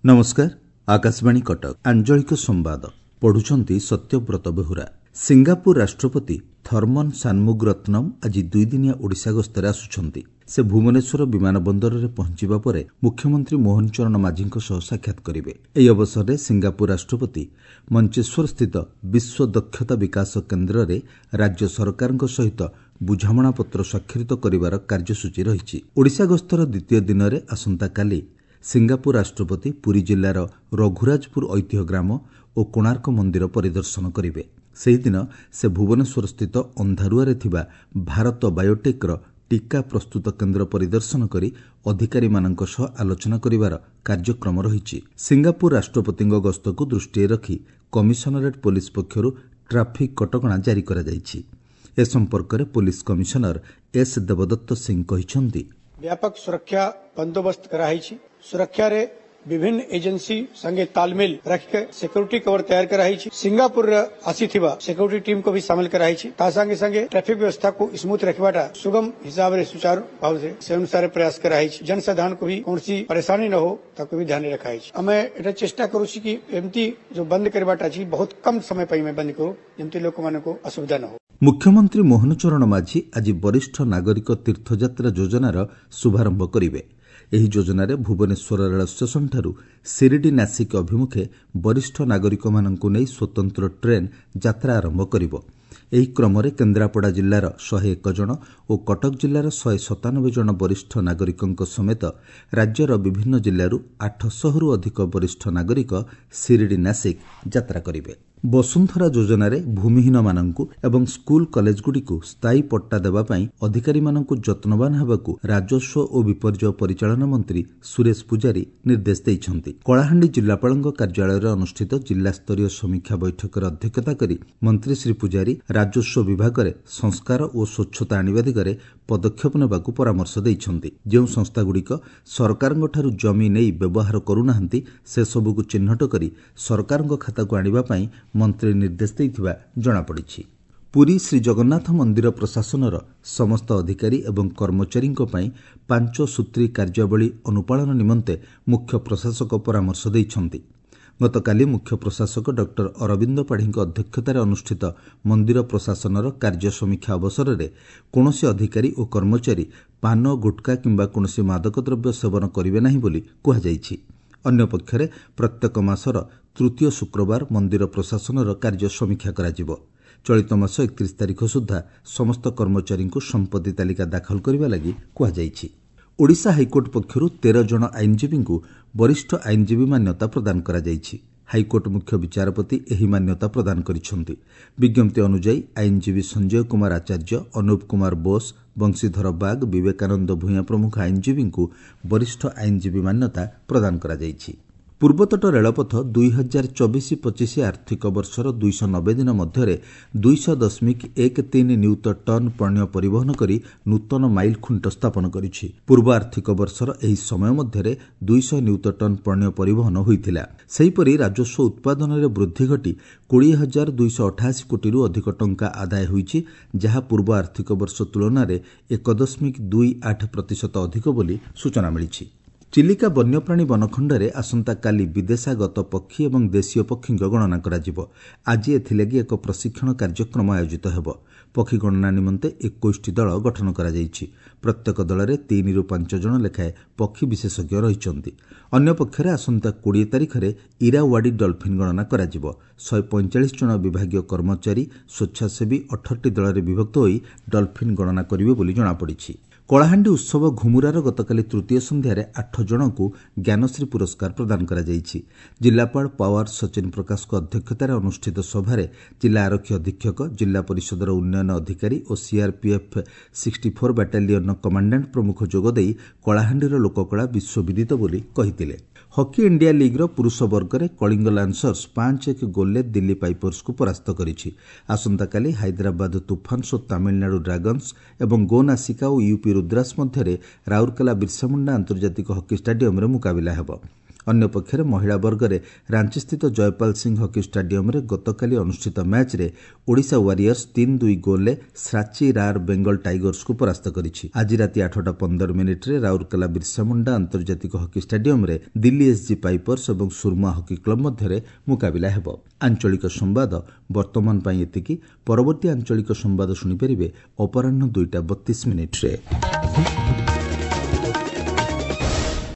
ନମସ୍କାର, ଆକାଶବାଣୀ କଟକ, ଆଞ୍ଚଳିକ ସମ୍ବାଦ ପଢୁଛନ୍ତି ସତ୍ୟବ୍ରତ ବେହୁରା। ସିଙ୍ଗାପୁର ରାଷ୍ଟ୍ରପତି ଥର୍ମନ ସାନମୁଗରତ୍ନମ୍ ଆଜି ଦୁଇଦିନିଆ ଓଡ଼ିଶା ଗସ୍ତରେ ଆସୁଛନ୍ତି। ସେ ଭୁବନେଶ୍ୱର ବିମାନ ବନ୍ଦରରେ ପହଞ୍ଚିବା ପରେ ମୁଖ୍ୟମନ୍ତ୍ରୀ ମୋହନ ଚରଣ ମାଝୀଙ୍କ ସହ ସାକ୍ଷାତ କରିବେ। ଏହି ଅବସରରେ ସିଙ୍ଗାପୁର ରାଷ୍ଟ୍ରପତି ମଞ୍ଚେଶ୍ୱରସ୍ଥିତ ବିଶ୍ୱ ଦକ୍ଷତା ବିକାଶ କେନ୍ଦ୍ରରେ ରାଜ୍ୟ ସରକାରଙ୍କ ସହିତ ବୁଝାମଣାପତ୍ର ସ୍ୱାକ୍ଷରିତ କରିବାର କାର୍ଯ୍ୟସୂଚୀ ରହିଛି। ଓଡ଼ିଶା ଗସ୍ତର ଦ୍ୱିତୀୟ ଦିନରେ ଆସନ୍ତାକାଲି ସିଙ୍ଗାପୁର ରାଷ୍ଟ୍ରପତି ପୁରୀ ଜିଲ୍ଲାର ରଘୁରାଜପୁର ଐତିହ୍ୟ ଗ୍ରାମ ଓ କୋଣାର୍କ ମନ୍ଦିର ପରିଦର୍ଶନ କରିବେ। ସେହିଦିନ ସେ ଭୁବନେଶ୍ୱରସ୍ଥିତ ଅନ୍ଧାରୁଆରେ ଥିବା ଭାରତ ବାୟୋଟେକ୍ର ଟିକା ପ୍ରସ୍ତୁତ କେନ୍ଦ୍ର ପରିଦର୍ଶନ କରି ଅଧିକାରୀମାନଙ୍କ ସହ ଆଲୋଚନା କରିବାର କାର୍ଯ୍ୟକ୍ରମ ରହିଛି। ସିଙ୍ଗାପୁର ରାଷ୍ଟ୍ରପତିଙ୍କ ଗସ୍ତକୁ ଦୃଷ୍ଟିରେ ରଖି କମିଶନରେଟ୍ ପୋଲିସ ପକ୍ଷରୁ ଟ୍ରାଫିକ୍ କଟକଣା ଜାରି କରାଯାଇଛି। ଏ ସମ୍ପର୍କରେ ପୋଲିସ କମିଶନର ଏସ୍ ଦେବଦତ୍ତ ସିଂ କହିଛନ୍ତି, ବ୍ୟାପକ ସୁରକ୍ଷା ବନ୍ଦୋବସ୍ତ କରାହେଇଛି। ସୁରକ୍ଷାରେ ବିଭିନ୍ନ ଏଜେନ୍ସି ସାଙ୍ଗେ ତାଲମେଲ ରଖିକି ସିକ୍ୟୁରିଟି କଭର ତୟାର କରାହେଇଛି। ସିଙ୍ଗାପୁରରେ ଆସିଥିବା ସିକ୍ୟୁରିଟି ଟିମ୍କୁ ବି ସାମିଲ କରାହେଇଛି। ତା ସାଙ୍ଗେ ସାଙ୍ଗେ ଟ୍ରାଫିକ ବ୍ୟବସ୍ଥାକୁ ସ୍ମୁଥ ରଖିବାଟା ସୁଗମ ହିସାବରେ ସୁଚାରୁ ଭାବରେ ସେ ଅନୁସାରେ ପ୍ରୟାସ କରାହେଇଛି। ଜନସାଧାରଣକୁ ବି କୌଣସି ପରେଶାନୀ ନ ହଉ, ତାକୁ ବି ଧ୍ୟାନରେ ରଖାହେଇଛି। ଆମେ ଏଟା ଚେଷ୍ଟା କରୁଛୁ କି ଏମିତି ଯୋଉ ବନ୍ଦ କରିବାଟା ଅଛି, ବହୁତ କମ ସମୟ ପାଇଁ ଆମେ ବନ୍ଦ କରୁ, ଯେମିତି ଲୋକମାନଙ୍କୁ ଅସୁବିଧା ନ ହଉ। ମୁଖ୍ୟମନ୍ତ୍ରୀ ମୋହନ ଚରଣ ମାଝୀ ଆଜି ବରିଷ୍ଠ ନାଗରିକ ତୀର୍ଥଯାତ୍ରା ଯୋଜନାର ଶୁଭାରମ୍ଭ କରିବେ। ଏହି ଯୋଜନାରେ ଭୁବନେଶ୍ୱର ରେଳ ଷ୍ଟେସନଠାରୁ ଶିରିଡି ନାସିକ୍ ଅଭିମୁଖେ ବରିଷ୍ଠ ନାଗରିକମାନଙ୍କୁ ନେଇ ସ୍ୱତନ୍ତ୍ର ଟ୍ରେନ୍ ଯାତ୍ରା ଆରମ୍ଭ କରିବ। ଏହି କ୍ରମରେ କେନ୍ଦ୍ରାପଡ଼ା ଜିଲ୍ଲାର 101 ଜଣ ଓ କଟକ ଜିଲ୍ଲାର 197 ଜଣ ବରିଷ୍ଠ ନାଗରିକଙ୍କ ସମେତ ରାଜ୍ୟର ବିଭିନ୍ନ ଜିଲ୍ଲାରୁ 800ରୁ ଅଧିକ ବରିଷ୍ଠ ନାଗରିକ ଶିରିଡି ନାସିକ୍ ଯାତ୍ରା କରିବେ। ବସୁନ୍ଧରା ଯୋଜନାରେ ଭୂମିହୀନମାନଙ୍କୁ ଏବଂ ସ୍କୁଲ କଲେଜଗୁଡ଼ିକୁ ସ୍ଥାୟୀ ପଟ୍ଟା ଦେବା ପାଇଁ ଅଧିକାରୀମାନଙ୍କୁ ଯତ୍ନବାନ ହେବାକୁ ରାଜସ୍ୱ ଓ ବିପର୍ଯ୍ୟୟ ପରିଚାଳନା ମନ୍ତ୍ରୀ ସୁରେଶ ପୂଜାରୀ ନିର୍ଦ୍ଦେଶ ଦେଇଛନ୍ତି। କଳାହାଣ୍ଡି ଜିଲ୍ଲାପାଳଙ୍କ କାର୍ଯ୍ୟାଳୟରେ ଅନୁଷ୍ଠିତ ଜିଲ୍ଲାସ୍ତରୀୟ ସମୀକ୍ଷା ବୈଠକରେ ଅଧ୍ୟକ୍ଷତା କରି ମନ୍ତ୍ରୀ ଶ୍ରୀ ପୂଜାରୀ ରାଜସ୍ୱ ବିଭାଗରେ ସଂସ୍କାର ଓ ସ୍ୱଚ୍ଛତା ଆଣିବା ଦିଗରେ ପଦକ୍ଷେପ ନେବାକୁ ପରାମର୍ଶ ଦେଇଛନ୍ତି। ଯେଉଁ ସଂସ୍ଥାଗୁଡ଼ିକ ସରକାରଙ୍କଠାରୁ ଜମି ନେଇ ବ୍ୟବହାର କରୁନାହାନ୍ତି, ସେସବୁକୁ ଚିହ୍ନଟ କରି ସରକାରଙ୍କ ଖାତାକୁ ଆଣିବା ପାଇଁ ମନ୍ତ୍ରୀ ନିର୍ଦ୍ଦେଶ ଦେଇଥିବା ଜଣାପଡ଼ିଛି। ପୁରୀ ଶ୍ରୀଜଗନ୍ନାଥ ମନ୍ଦିର ପ୍ରଶାସନର ସମସ୍ତ ଅଧିକାରୀ ଏବଂ କର୍ମଚାରୀଙ୍କ ପାଇଁ 5 ସୂତ୍ରୀ କାର୍ଯ୍ୟାବଳୀ ଅନୁପାଳନ ନିମନ୍ତେ ମୁଖ୍ୟ ପ୍ରଶାସକ ପରାମର୍ଶ ଦେଇଛନ୍ତି। ଗତକାଲି ମୁଖ୍ୟ ପ୍ରଶାସକ ଡକ୍ଟର ଅରବିନ୍ଦ ପାଢ଼ୀଙ୍କ ଅଧ୍ୟକ୍ଷତାରେ ଅନୁଷ୍ଠିତ ମନ୍ଦିର ପ୍ରଶାସନର କାର୍ଯ୍ୟ ସମୀକ୍ଷା ଅବସରରେ କୌଣସି ଅଧିକାରୀ ଓ କର୍ମଚାରୀ ପାନ, ଗୁଟ୍ଖା କିମ୍ବା କୌଣସି ମାଦକ ଦ୍ରବ୍ୟ ସେବନ କରିବେ ନାହିଁ ବୋଲି କୁହାଯାଇଛି। ଅନ୍ୟପକ୍ଷରେ ପ୍ରତ୍ୟେକ ମାସର ତୃତୀୟ ଶୁକ୍ରବାର ମନ୍ଦିର ପ୍ରଶାସନର କାର୍ଯ୍ୟ ସମୀକ୍ଷା କରାଯିବ। ଚଳିତ ମାସ 31 ତାରିଖ ସୁଦ୍ଧା ସମସ୍ତ କର୍ମଚାରୀଙ୍କୁ ସମ୍ପତ୍ତି ତାଲିକା ଦାଖଲ କରିବା ଲାଗି କୁହାଯାଇଛି। ଓଡ଼ିଶା ହାଇକୋର୍ଟ ପକ୍ଷରୁ 13 ଜଣ ଆଇନଜୀବୀଙ୍କୁ ବରିଷ୍ଠ ଆଇନଜୀବୀ ମାନ୍ୟତା ପ୍ରଦାନ କରାଯାଇଛି। ହାଇକୋର୍ଟ ମୁଖ୍ୟ ବିଚାରପତି ଏହି ମାନ୍ୟତା ପ୍ରଦାନ କରିଛନ୍ତି। ବିଜ୍ଞପ୍ତି ଅନୁଯାୟୀ ଆଇନଜୀବୀ ସଞ୍ଜୟ କୁମାର ଆଚାର୍ଯ୍ୟ, ଅନୁପ କୁମାର ବୋଷ, ବଂଶୀଧର ବାଗ, ବିବେକାନନ୍ଦ ଭୂୟାଁ ପ୍ରମୁଖ ଆଇନଜୀବୀଙ୍କୁ ବରିଷ୍ଠ ଆଇନଜୀବୀ ମାନ୍ୟତା ପ୍ରଦାନ କରାଯାଇଛି। ପୂର୍ବତଟ ରେଳପଥ 2024-25 ଆର୍ଥିକ ବର୍ଷର 290 ଦିନ ମଧ୍ୟରେ 200.13 ନିୟୁତ ଟନ୍ ପଣ୍ୟ ପରିବହନ କରି ନୂତନ ମାଇଲ ଖୁଣ୍ଟ ସ୍ଥାପନ କରିଛି। ପୂର୍ବ ଆର୍ଥିକ ବର୍ଷର ଏହି ସମୟ ମଧ୍ୟରେ 200 ନିୟୁତ ଟନ୍ ପଣ୍ୟ ପରିବହନ ହୋଇଥିଲା। ସେହିପରି ରାଜସ୍ୱ ଉତ୍ପାଦନରେ ବୃଦ୍ଧି ଘଟି 20,288 କୋଟିରୁ ଅଧିକ ଟଙ୍କା ଆଦାୟ ହୋଇଛି, ଯାହା ପୂର୍ବ ଆର୍ଥିକ ବର୍ଷ ତୁଳନାରେ 1.28% ଅଧିକ ବୋଲି ସୂଚନା ମିଳିଛି। ଚିଲିକା ବନ୍ୟପ୍ରାଣୀ ବନଖଣ୍ଡରେ ଆସନ୍ତାକାଲି ବିଦେଶାଗତ ପକ୍ଷୀ ଏବଂ ଦେଶୀୟ ପକ୍ଷୀଙ୍କ ଗଣନା କରାଯିବ। ଆଜି ଏଥିଲାଗି ଏକ ପ୍ରଶିକ୍ଷଣ କାର୍ଯ୍ୟକ୍ରମ ଆୟୋଜିତ ହେବ। ପକ୍ଷୀ ଗଣନା ନିମନ୍ତେ 21ଟି ଦଳ ଗଠନ କରାଯାଇଛି। ପ୍ରତ୍ୟେକ ଦଳରେ 3ରୁ 5 ଜଣ ଲେଖାଏଁ ପକ୍ଷୀ ବିଶେଷଜ୍ଞ ରହିଛନ୍ତି। ଅନ୍ୟପକ୍ଷରେ ଆସନ୍ତା 20 ତାରିଖରେ ଇରାୱାଡି ଡଲଫିନ୍ ଗଣନା କରାଯିବ। 145 ଜଣ ବିଭାଗୀୟ କର୍ମଚାରୀ, ସ୍ୱେଚ୍ଛାସେବୀ 18ଟି ଦଳରେ ବିଭକ୍ତ ହୋଇ ଡଲଫିନ୍ ଗଣନା କରିବେ ବୋଲି ଜଣାପଡ଼ିଛି। କଳାହାଣ୍ଡି ଉତ୍ସବ ଘୁମୁରାର ଗତକାଲି ତୃତୀୟ ସନ୍ଧ୍ୟାରେ 8 ଜଣଙ୍କୁ ଜ୍ଞାନଶ୍ରୀ ପୁରସ୍କାର ପ୍ରଦାନ କରାଯାଇଛି। ଜିଲ୍ଲାପାଳ ପାୱାର ସଚିନ ପ୍ରକାଶଙ୍କ ଅଧ୍ୟକ୍ଷତାରେ ଅନୁଷ୍ଠିତ ସଭାରେ ଜିଲ୍ଲା ଆରକ୍ଷୀ ଅଧୀକ୍ଷକ, ଜିଲ୍ଲା ପରିଷଦର ଉନ୍ନୟନ ଅଧିକାରୀ ଓ ସିଆର୍ପିଏଫ୍ 64 ବାଟାଲିୟନର କମାଣ୍ଡାଣ୍ଟ ପ୍ରମୁଖ ଯୋଗଦେଇ କଳାହାଣ୍ଡିର ଲୋକକଳା ବିଶ୍ୱବିଦିତ ବୋଲି କହିଥିଲେ। ହକି ଇଣ୍ଡିଆ ଲିଗ୍ର ପୁରୁଷ ବର୍ଗରେ କଳିଙ୍ଗ ଲାନ୍ସର୍ସ 5-1 ଗୋଲ୍ରେ ଦିଲ୍ଲୀ ପାଇପର୍ସକୁ ପରାସ୍ତ କରିଛି। ଆସନ୍ତାକାଲି ହାଇଦ୍ରାବାଦ ତୁଫାନ୍ସ ଓ ତାମିଲନାଡୁ ଡ୍ରାଗନ୍ସ ଏବଂ ଗୋନାସିକା ଓ ୟୁପି ରୁଦ୍ରାସ ମଧ୍ୟରେ ରାଉରକେଲା ବିର୍ସାମୁଣ୍ଡା ଆନ୍ତର୍ଜାତିକ ହକି ଷ୍ଟାଡିୟମରେ ମୁକାବିଲା ହେବ। ଅନ୍ୟପକ୍ଷରେ ମହିଳା ବର୍ଗରେ ରାଞ୍ଚିସ୍ଥିତ ଜୟପାଲ ସିଂ ହକି ଷ୍ଟାଡିୟମ୍ରେ ଗତକାଲି ଅନୁଷ୍ଠିତ ମ୍ୟାଚ୍ରେ ଓଡ଼ିଶା ୱାରିୟର୍ସ 3-2 ଗୋଲ୍ରେ ଶ୍ରାଚୀ ରାର୍ ବେଙ୍ଗଲ ଟାଇଗର୍ସକୁ ପରାସ୍ତ କରିଛି। ଆଜି ରାତି 8ଟା 15 ମିନିଟ୍ରେ ରାଉରକେଲା ବିର୍ସାମୁଣ୍ଡା ଆନ୍ତର୍ଜାତିକ ହକି ଷ୍ଟାଡିୟମ୍ରେ ଦିଲ୍ଲୀ ଏସ୍ଜି ପାଇପର୍ସ ଏବଂ ସୁରମା ହକି କ୍ଲବ୍ ମଧ୍ୟରେ ମୁକାବିଲା ହେବ। ଆଞ୍ଚଳିକ ସମ୍ବାଦ ବର୍ତ୍ତମାନ ପାଇଁ ଏତିକି। ପରବର୍ତ୍ତୀ ଆଞ୍ଚଳିକ ସମ୍ବାଦ ଶୁଣିପାରିବେ ଅପରାହ୍ନ 2ଟା 32 ମିନିଟ୍ରେ।